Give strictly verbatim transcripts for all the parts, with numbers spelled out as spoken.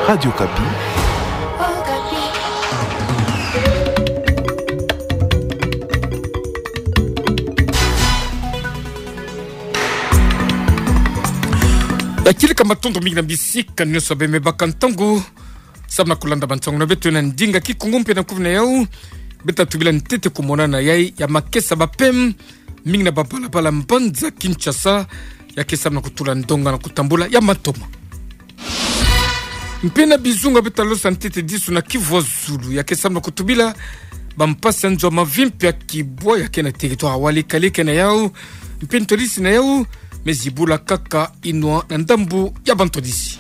Radio Okapi. Ya kieleka matondo mingi na bisika nyonso bê me baka ntangu samu na kulanda bansango na beto na ndinga Kikongo mpe na kuvuna yau. Bê ta tubila ntete kumonana yai ya makesa ba P M mingi na babalabala mbanza Kinshasa, ya ke samu na kutula ndonga na kutambula ya matoma. Mpe na bizunga bê ta losa ntete disu na Kivu ya zulu, ya ke samu na kutubila bampasi ya nzo ya mavimpi ya kibwa ya ke na territoire ya Walikale ke na yau, mpe ntwadisi na yau me zibula kaka inwa na ndambu ya bantwadisi.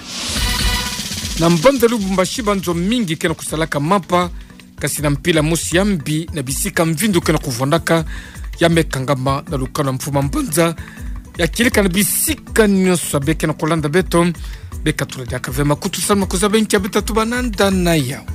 Na mbanza Lubumbashi, banzo mingi ke na kusalaka mapa, kasi na mpila mosi ya mbi na bisika mvindu ke na kuvwandaka, ya me kangama na lukanu ya mfuma mbanza. Ya kieleka na bisika nyonso bê ke na kulanda beto, bê katula diaka ve makutu samu na kuzaba nki bê ta tuba nanda na yau.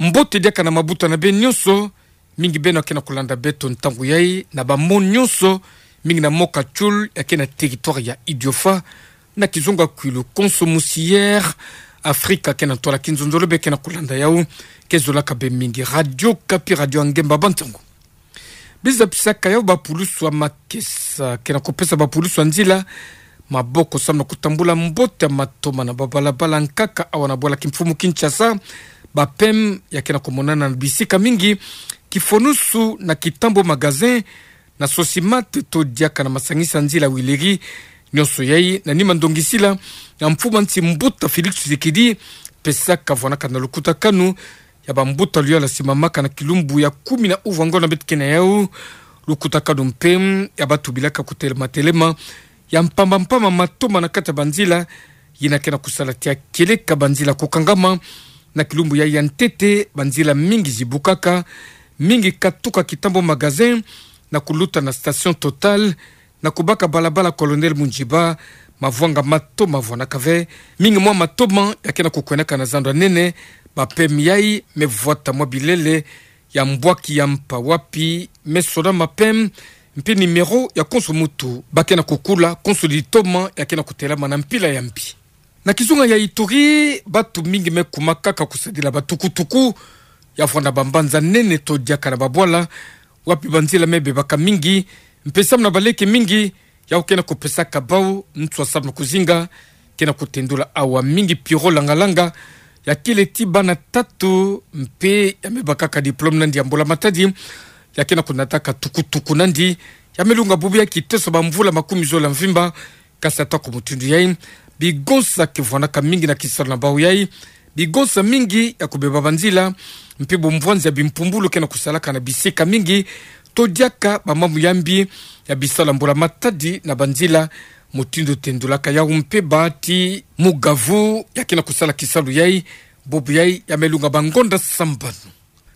Mbote diaka na mabuta na bê nyonso, mingi beno ya ke na kulanda beto ntangu yai na ba mot nyonso, mingi na mot Kachul ya ke na territoire ya Idiofa, na kizunga kwilu konso musi Air Africa ke na ntwala kinzonzolo bê ke na kulanda yau, ke zolaka bê mingi Radio Okapi, radio ya ngemba bansango. Biza pisaka yau bapulusu ya makesa ke na kupesa bapulusu ya nzila maboko samu na kutambula mbote ya matoma na babalabala nkaka awa na bwala kimfumu Kinshasa, ba P M ya ke na kumonana na bisika mingi, Kifonusu na Kitambo Magasin, na Sosimat to diaka na masangisa nzila Huileries. Nyonso yai na nima ndongisila ya mfumu a nsi mbuta Félix Tshisekedi, pesaka vwanaka na lukutakanu ya bambuta luyala simamaka na kilumbu ya kumi na uvwa ngonda bê tuke na yau. Lukutakanu mpe ya batubilaka kutelematelema ya mpamba mpamba matoma na kati ya banzila, yina ke na kusala tia kieleka banzila kukangama. Na kilumbu yai ya ntete, banzila mingi zibukaka, mingi katuka Kitambo Magasin na kuluta na station Total, na kubaka balabala Colonel Mundjiba, mavwanga matoma vwanaka ve. Mingi mwa matoma ya ke na kukwenaka na zando ya nene, ba P M yai me vwata mwa bilele ya mbwaki ya mpa wapi me sona ma P M, mpe numéro ya konso mutu ba ke na kukula, konso litoma ya ke na kutelama na mpila ya mbi. Na kizunga ya Ituri, batu mingi me kuma kaka kusadila batukutuku ya vwanda bambanza nene to diaka na babwala, wapi banzila me bebaka mingi, mpe samu na baleke mingi, yau ke na kupesaka bau nswa samu na kuzinga. Ke na kutendula awa mingi Pierrot Langalanga, ya kele ti bana tatu, mpe ya me bakaka diplôme na ndi ya mbula matadi, ya ke na kunataka tukutuku na ndi, ya me lunga bubu ya kiteso bamvula makumi zola mvimba. Kasi ata ku mutindu yai, bigonsa ke vwanaka mingi na kisalu na bau yai, bigonsa mingi ya kubeba banzila, mpe bumvwanzi ya bimpumbulu ke na kusalaka na bisika mingi, to diaka bamambu ya mbi ya bisalu ya mbula matadi na banzila. Mutindu tendulaka yau mpe ba ti mugavu ya ke na kusala kisalu yai, bubu yai ya me lunga bangonda sambanu.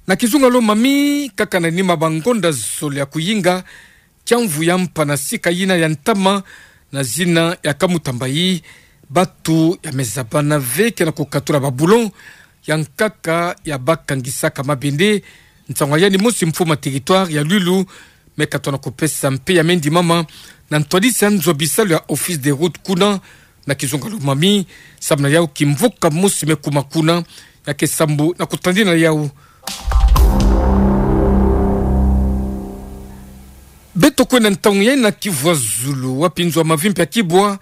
Na kizunga Lomami, kaka na nima bangonda zole ya kuyinga, tiamvu ya mpa na sika yina ya ntama na zina ya Kamutamba yi, batu ya me zabana ve ke na kukatula ba boulon ya nkaka ya bakangisaka mabende. Nsangu ya yandi mosi mfumu a territoire ya Luilu me katono kupesa mpe ya me ndimama na ntwadisi ya nzo bisalu ya Office des routes kuna, na kizunga Lomami, samu na yau kimvuka mosi me kuma kuna, ya ke sambu na kutadina yau. Beto kwenda ntangu yai na Kivu ya zulu, wapi nzo ya mavimpi ya kibwa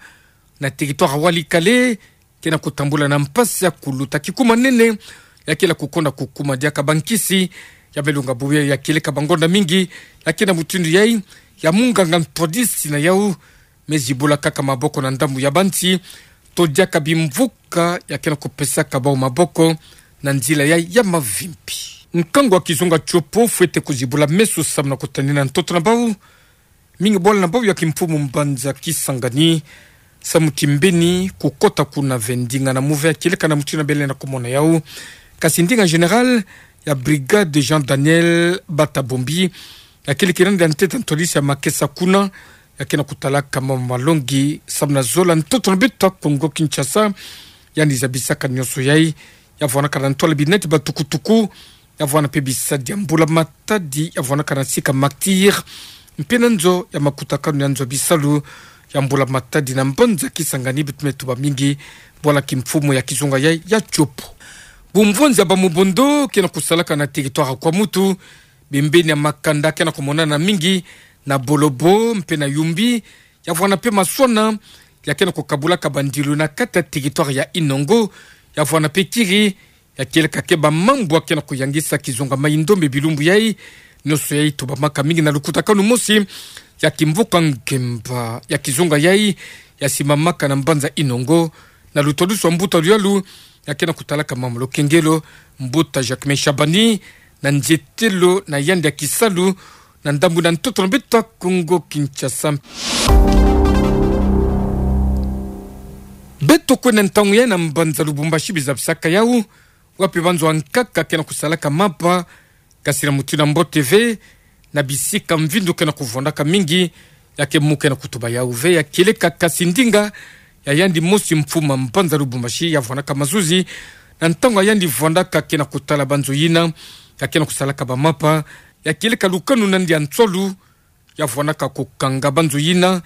na territoire ya Walikale ke na kutambula na mpasi ya kuluta. Kikuma nene ya kele kukonda kukuma diaka bankisi, ya me lunga bubu ya kieleka bangonda mingi, ya ke na mutindu yai ya munganga ntwadisi na yau me zibula kaka maboko na ndambu ya bansi, to diaka bimvuka ya ke na kupesaka bau maboko na nzila yai ya mavimpi. Nkangu wa kizunga Tshopo fwete kuzibula meso samu na kutadina ntoto na bau, mingi bwala na bau ya kimfumu mbanza Kisangani, samu ti mbeni kukota kuna ve ndinga na muve ya kieleka na mutindu bele na kumona yau. Kasi ndinga général ya brigade Jean Daniel Batabombi, ya kele kina nde ntete ntwadisi ya makesa kuna, ya ke na kutalaka mama malongi samu na zola ntoto na beto ya Kongo Kinshasa. Yandi zabisaka nyonso yai, ya vwanaka na ntwala binati batukutuku, ya vwana mpe bisadi ya mbula matadi, ya vwanaka na sika martyr, mpe na nzo ya makutakanu ya nzo bisalu ya mbula matadi na mbanza Kisangani. Beto me tuba mingi bwala kimfumu ya kizunga yai ya Tshopo. Bumvonzi ya bamubondo ke na kusalaka na territoire ya Kwamouth, bembeni ya makanda ke na kumonana mingi na Bolobo mpe na Youmbi, ya vwanda mpe Massouana, ya ke na kukabulaka bandilu na kati ya territoire ya Inongo, ya vwanda mpe Kiri, ya kieleka ke bamambu ya ke na kuyangisa kizunga Mayi-Ndombe bilumbu yai. Nionso yai tubamaka mingi na lukutakanu mosi ya kimvuka ngemba ya kizunga yai, ya simamaka na mbanza Inongo, na lutwadusu wa mbuta luyalu ya ke na kutalaka mambu lo kengelo, mbuta Jacquemain Shabani, na nzietelo na yandi ya kisalu na ndambu na ntoto na beto ya Kongo Kinshasa. Beto kwenda ntangu yai na mbanza Lubumbashi bizabisaka yau, wapi banzo ya nkaka ke na kusalaka mapa, kasi na mutindu ya mbote ve, na bisika mvindu ke na kuvwandaka mingi, ya ke mu ke na kutuba yau ve, ya kieleka kasi ndinga ya yandi mosi mfumu ya mbanza Lubumbashi ya vwandaka mazuzi, na ntangu ya yandi vwandaka ke na kutala banzo yina ya ke na kusalaka bamapa, ya kieleka lukanu na yandi ya nswalu, ya vwandaka kukanga banzo yina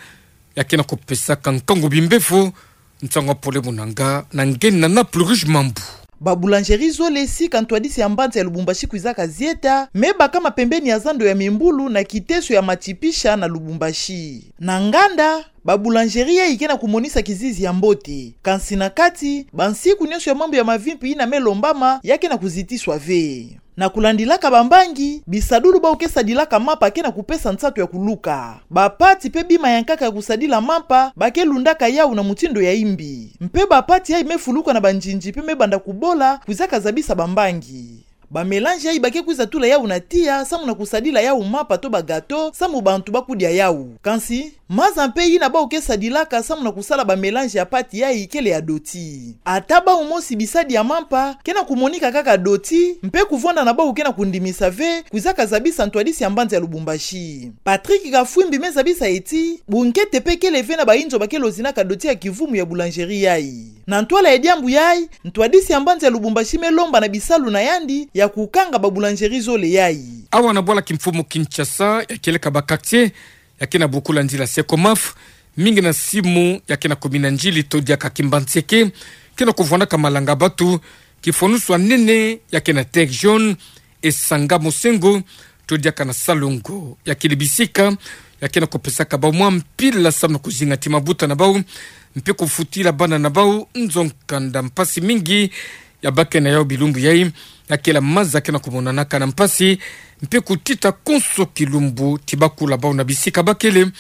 ya ke na kupesaka nkangu bimbefo. Nsangu ya pole muna nga na nge na Naples Rouge Mambu. Ba boulangerie zole sika ntwadisi ya mbanza ya Lubumbashi kwizaka zieta, me bakama pembeni ya zando ya Mimbulu na kiteso ya Matshipisha na Lubumbashi. Na nganda, ba boulangerie yai ke na kumonisa kizizi ya mbote. Kasi na kati, bansiku nionso ya mambu ya mavimpi yina me lombama ya ke na kuzitiswa ve. Na kulandilaka bambangi, bisadulu bau ke sadilaka mapa ke na kupesa nsatu ya kuluka. Bapati mpe bima ya nkaka ya kusadila mapa, ba ke lundaka yau na mutindu ya imbi. Mpe bapati yai me fuluka na banzinzi mpe me banda kubola, kwizaka zabisa bambangi. Ba mélange yai ba ke kwiza tula yau na tiya, samu na kusadila yau mapa to ba gâteau, samu bantu ba kudia yau. Kasi, maza mpe yina bau ke sadilaka samu na kusala ba mélange ya pati yai kele ya doti. Ata bau mosi bisadi ya mampa, ke na kumonika kaka doti, mpe kuvwanda na bau ke na kundimisa ve, kwizaka zabisa ntwadisi ya mbanza ya Lubumbashi. Patrick Kafwimbi me zabisa ti, bunkete mpe kele ve na bayinzo ba ke lozinaka doti ya kivumu ya boulangerie yai. Na ntwala ya diambu yai, ntwadisi ya mbanza ya Lubumbashi me lomba na bisalu na yandi ya kukanga ba boulangerie zole yai. Awa na bwala kimfumu Kinshasa, ya kieleka ba quartier ya ke na bokula nzila Secomaf, mingi na simu ya ke na kumina njili to diaka Kimbanseke, ke na kuvwandaka malanga batu, kifwanusu ya nene ya ke na Terre Jaune, Esanga Mosengo, to diaka na Salongo. Ya kele bisika ya ke na kupesaka bau mwa mpila samu na kuzinga ti mabuta na bau, mpe kufutila bana na bau nzo nkanda. Mpasi mingi ya ba ke na yau bilumbu yai, ya kele maza ke na kumonanaka na mpasi, mpe kutita konso kilumbu ti bakula bau na bisika ba kele.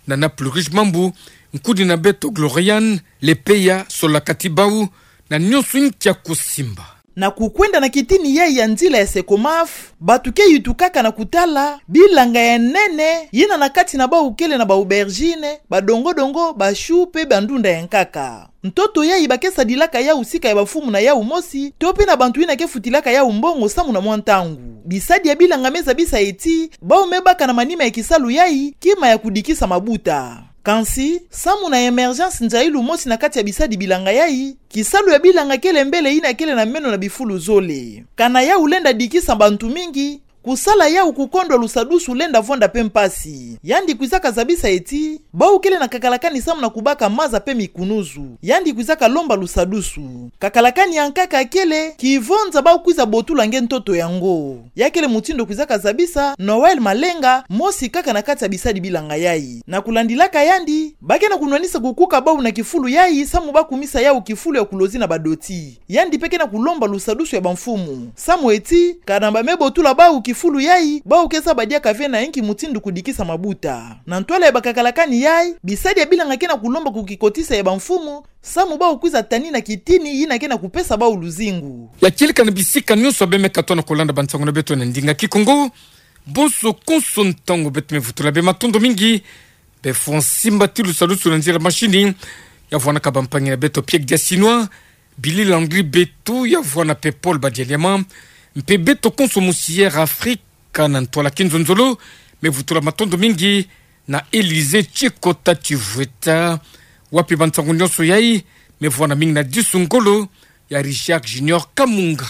Na Naples Rouge Mambu, nkudi na beto Gloriane Lepeya solaka ti bau na nionso nkia kusimba. Na kukwenda na kitini yai ya nzila ya Secomaf, batu ke yutukaka na kutala bilanga ya nene yina na kati na bau kele na ba aubergine, ba dongo-dongo, ba choux mpe ba ndunda ya nkaka. Ntoto yai ba ke sadilaka yau sika ya bamfumu na yau mosi, to mpe na bantu yina ke futilaka yau mbongo samu na mwa ntangu. Bisadi ya bilanga me zabisa ti, bau me baka na manima ya kisalu yai kima ya kudikisa mabuta. Kasi, samu na émergence nzailu mosi na kati ya bisadi bilanga yai, kisalu ya bilanga kele mbele yina kele na meno na bifulu zole. Kana yau lenda dikisa bantu mingi, kusala yau kukondwa lusadusu lenda vwanda mpe mpasi. Yandi kwizaka zabisa ti, bau kele na kakalakani samu na kubaka maza mpe mikunuzu. Yandi kwizaka lomba lusadusu. Kakalakani ya nkaka kele, kivonza bau kwiza botula nge ntoto yango. Ya kele mutindu kwizaka zabisa Noël Malenga, mosi kaka na kati ya bisadi bilanga yai. Na kulandilaka yandi, ba ke na kunwanisa kukuka bau na kifulu yai, samu ba kumisa yau kifulu ya kulozi na badoti. Yandi mpe ke na kulomba lusadusu ya bamfumu. Samu ti, kana ba me botula bau kifulu yai, bau ke zaba diaka ve na inki mutindu kudikisa mabuta. Na ntwala ya bakakalakani yai, bisadi ya bilanga ke na kulomba kukikotisa ya bamfumu, samu bau kwiza tanina kitini yina ke na kupesa bau luzingu. Ya kieleka na bisika nionso be me katono kulanda bansangu na beto na ndinga Kikongo. Bonso konso ntangu beto me vutula be matondo mingi. Be fwa nsimbati lusadusu na nzila machine, ya vwandaka bampangi na beto Pierre Diasinois, Billy Landry Betu, ya vwanda mpe Paul Badialiama, mpe beto konso musiere Afrika na ntwala kinzonzolo, me vutula matondo mingi na Élysée Tshikota Tshivweta, wapi bansangu nionso yai me vwanda mingi na disu ngolo ya Richard Junior Kamunga.